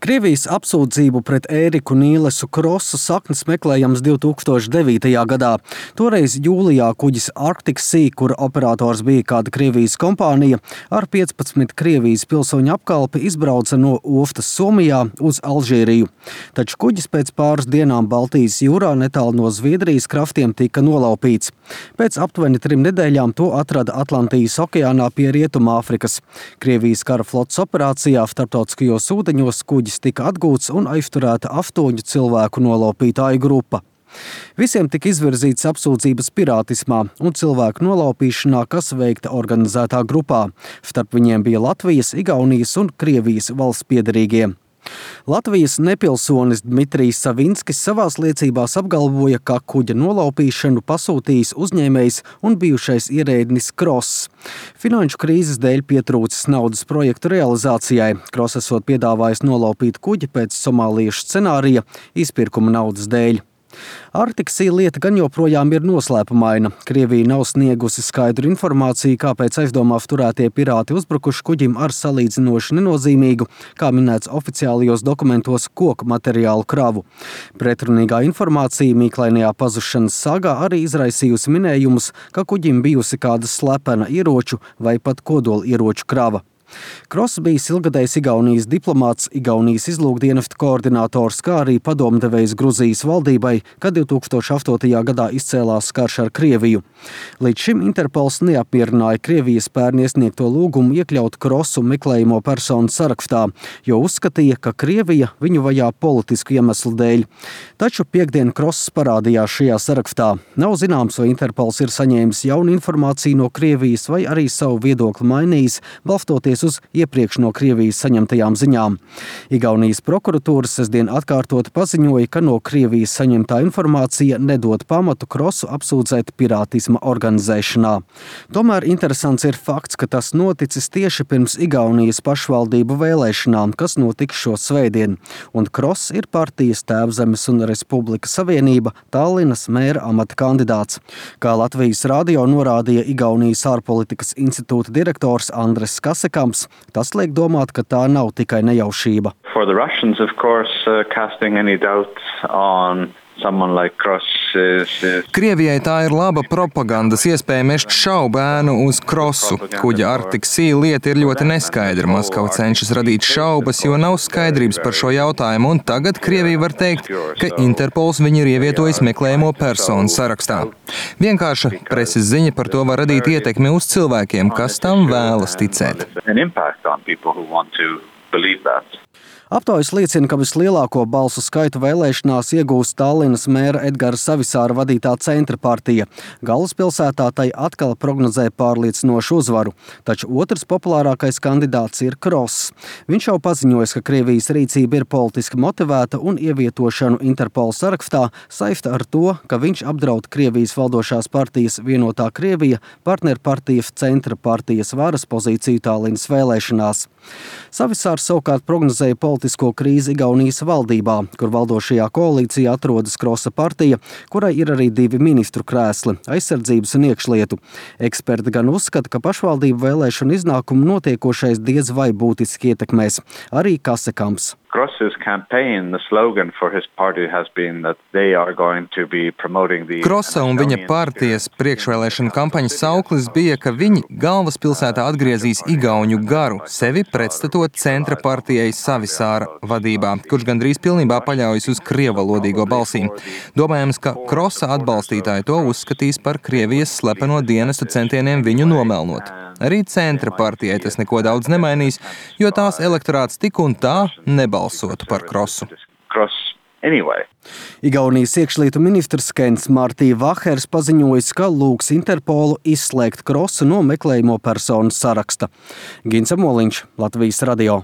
Krievijas apsūdzību pret Ēriku Nīlesu Krosu saknes meklējams 2009. gadā. Toreiz jūlijā kuģis Arctic Sea, kura operators bija kāda Krievijas kompānija, ar 15 Krievijas pilsoņu apkalpi izbrauca no Oftas Somijā uz Alžīriju. Taču kuģis pēc pāris dienām Baltijas jūrā netālu no Zviedrijas kraftiem tika nolaupīts. Pēc aptuveni 3 nedēļām to atrada Atlantijas okeānā pie Rietumāfrikas. Krievijas kara flotes operācijā starptautiskajos ūdeņos kuģis tika atgūts un aizturēta 8 cilvēku nolaupītāju grupa. Visiem tika izvirzītas apsūdzības pirātismā un cilvēku nolaupīšanā, kas veikta organizētā grupā. Starp viņiem bija Latvijas, Igaunijas un Krievijas valsts piederīgie. Latvijas nepilsonis Dmitrijs Savinskis savās liecībās apgalvoja, ka kuģa nolaupīšanu pasūtījis uzņēmējs un bijušais ierēdnis Kross. Finanšu krīzes dēļ pietrūcis naudas projektu realizācijai. Kross esot piedāvājis nolaupīt kuģi pēc somāliešu scenārija izpirkuma naudas dēļ. Arctic Sea lieta gan joprojām ir noslēpumaina. Krievija nav sniegusi skaidru informāciju, kāpēc aizdomās turētie pirāti uzbrukuši kuģim ar salīdzinoši nenozīmīgu, kā minēts oficiālajos dokumentos, koku materiālu kravu. Pretrunīgā informācija mīklainajā pazušanas sagā arī izraisījusi minējumus, ka kuģim bijusi kāda slepena ieroču vai pat kodola ieroču krava. Kross bijis ilgadējs Igaunijas diplomāts, Igaunijas izlūkdienesta koordinators, kā arī padomdevējs Gruzijas valdībai, kad 2008. gadā izcēlās karš ar Krieviju. Līdz šim Interpols neapmierināja Krievijas pērn iesniegto lūgumu iekļaut Krossu meklējamo personu sarakstā, jo uzskatīja, ka Krievija viņu vajā politisku iemeslu dēļ. Taču piektdien Kross parādījās šajā sarakstā. Nav zināms, vai Interpols ir saņēmis jaunu informāciju no Krievijas vai arī savu viedokli mainījis, balstoties uz iepriekš no Krievijas saņemtajām ziņām. Igaunijas prokuratūra sestdien atkārtoti paziņoja, ka no Krievijas saņemtā informācija nedod pamatu Krossu apsūdzēt pirātisma organizēšanā. Tomēr interesants ir fakts, ka tas noticis tieši pirms Igaunijas pašvaldību vēlēšanām, kas notika šo svētdien, un Kross ir partijas Tēvzemes un Republikas Savienība Tallinas mēra amata kandidāts. Kā Latvijas radio norādīja Igaunijas ārpolitikas institūta direktors Andres Kasekams, tas liek domāt, ka tā nav tikai nejaušība. For the Russians, of course, casting any doubts on someone like Kross is... Krievijai tā ir laba propagandas iespēja mest šaubu ēnu uz Krossu. Kuģa Arctic Sea lieta ir ļoti neskaidra. Maskava cenšas radīt šaubas, jo nav skaidrības par šo jautājumu, un tagad Krievija var teikt, ka Interpols viņu ir ievietojis meklējamo personu sarakstā. Vienkārša preses ziņa par to var radīt ietekmi uz cilvēkiem, kas tam vēlas ticēt. Aptaujas liecina, ka vislielāko balsu skaitu vēlēšanās iegūs Tallinas mēra Edgara Savisāra vadītā Centra partija. Galvaspilsētā tai atkal prognozē pārliecinošu uzvaru, taču otrs populārākais kandidāts ir Kross. Viņš jau paziņojis, ka Krievijas rīcība ir politiski motivēta un ievietošanu Interpola sarakstā saista ar to, ka viņš apdraud Krievijas valdošās partijas Vienotā Krievija partnerpartija Centra partijas varas pozīciju Tallinas vēlēšanās. Savisārs savukārt prognozēja politisko krīzi Igaunijas valdībā, kur valdošajā koalīcijā atrodas Krossa partija, kurai ir arī 2 ministru krēsli – aizsardzības un iekšlietu. Eksperti gan uzskata, ka pašvaldību vēlēšanu iznākumu notiekošais diez vai būtiski ietekmēs. Arī Kasekams. Kross's campaign, the slogan for his party has been that they are going to be promoting the... Krossa un viņa partijas priekšvēlēšana kampaņas sauklis bija, ka viņi galvaspilsētā atgriezīs igauņu garu, sevi pretstatot Centra partijai Savisāra vadībā, kurš gandrīz pilnībā paļaujas uz krievalodīgo balsīm. Domājams, ka Krossa atbalstītāji to uzskatīs par Krievijas slepeno dienestu centieniem viņu nomelnot. Arī Centra partijai tas neko daudz nemainīs, jo tās elektorāts tik un tā nebalsotu par Krossu. Igaunijas iekšlietu ministrs Kens Martī Vahers paziņojis, ka lūgs Interpolu izslēgt Krossu no meklējamo personu saraksta. Gins Amoliņš, Latvijas radio.